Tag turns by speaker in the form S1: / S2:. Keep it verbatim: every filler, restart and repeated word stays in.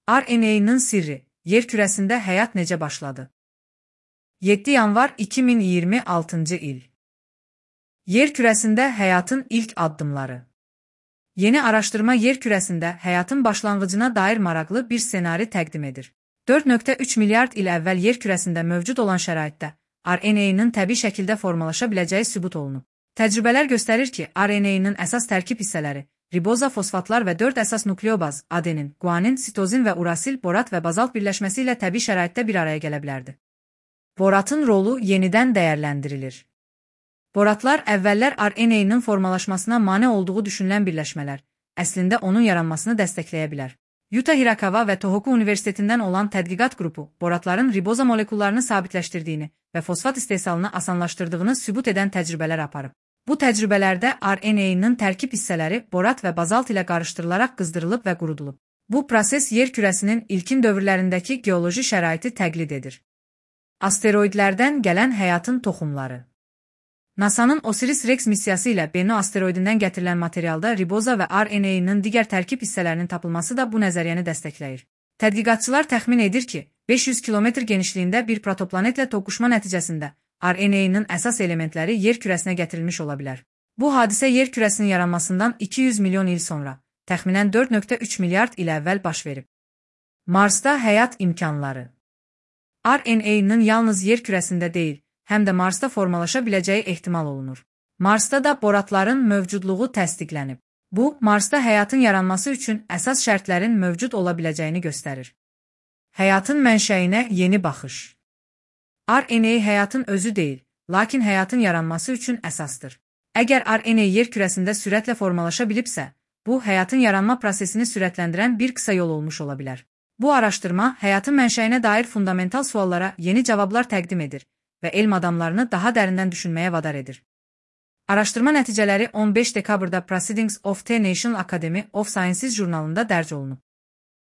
S1: R N A'nın sirri, yer kürəsində həyat necə başladı? yeddi yanvar iki min iyirmi altıncı il. Yer kürəsində həyatın ilk addımları. Yeni araşdırma yer kürəsində həyatın başlanğıcına dair maraqlı bir ssenari təqdim edir. dörd nöqtə üç milyard il əvvəl yer kürəsində mövcud olan şəraitdə R N A'nın təbii şəkildə formalaşa biləcəyi sübut olunub. Təcrübələr göstərir ki, R N A'nın əsas tərkib hissələri riboza, fosfatlar və dörd əsas nukleobaz adenin, guanin, sitozin və urasil, borat və bazalt birləşməsi ilə təbii şəraitdə bir araya gələ bilərdi. Boratın rolu yenidən dəyərləndirilir. Boratlar əvvəllər R N A'nın formalaşmasına mane olduğu düşünülən birləşmələr, əslində onun yaranmasını dəstəkləyə bilər. Yuta Hirakawa və Tohoku Universitetindən olan tədqiqat qrupu boratların riboza molekullarını sabitləşdirdiyini və fosfat istehsalını asanlaşdırdığını sübut edən təcrübələr aparıb. Bu təcrübələrdə R N A'nın tərkib hissələri borat və bazalt ilə qarışdırılaraq qızdırılıb və qurudulub. Bu proses yer kürəsinin ilkin dövrlərindəki geoloji şəraiti təqlid edir. Asteroidlərdən gələn həyatın toxumları. NASA'nın Osiris-Rex missiyası ilə Bennu asteroidindən gətirilən materialda riboza və R N A'nın digər tərkib hissələrinin tapılması da bu nəzəriyyəni dəstəkləyir. Tədqiqatçılar təxmin edir ki, beş yüz kilometr genişliyində bir protoplanetlə toqquşma nəticəsində R N A'nın əsas elementləri yer kürəsinə gətirilmiş ola bilər. Bu hadisə yer kürəsinin yaranmasından iki yüz milyon il sonra, təxminən dörd nöqtə üç milyard il əvvəl baş verib. Marsda həyat imkanları. R N A'nın yalnız yer kürəsində deyil, həm də Marsda formalaşa biləcəyi ehtimal olunur. Marsda da boratların mövcudluğu təsdiqlənib. Bu, Marsda həyatın yaranması üçün əsas şərtlərin mövcud ola biləcəyini göstərir. Həyatın mənşəyinə yeni baxış. R N A həyatın özü deyil, lakin həyatın yaranması üçün əsasdır. Əgər R N A yer kürəsində sürətlə formalaşa bilibsə, bu, həyatın yaranma prosesini sürətləndirən bir qısa yol olmuş ola bilər. Bu araşdırma, həyatın mənşəyinə dair fundamental suallara yeni cavablar təqdim edir və elm adamlarını daha dərindən düşünməyə vadar edir. Araşdırma nəticələri on beş dekabrda Proceedings of the National Academy of Sciences jurnalında dərc olunub.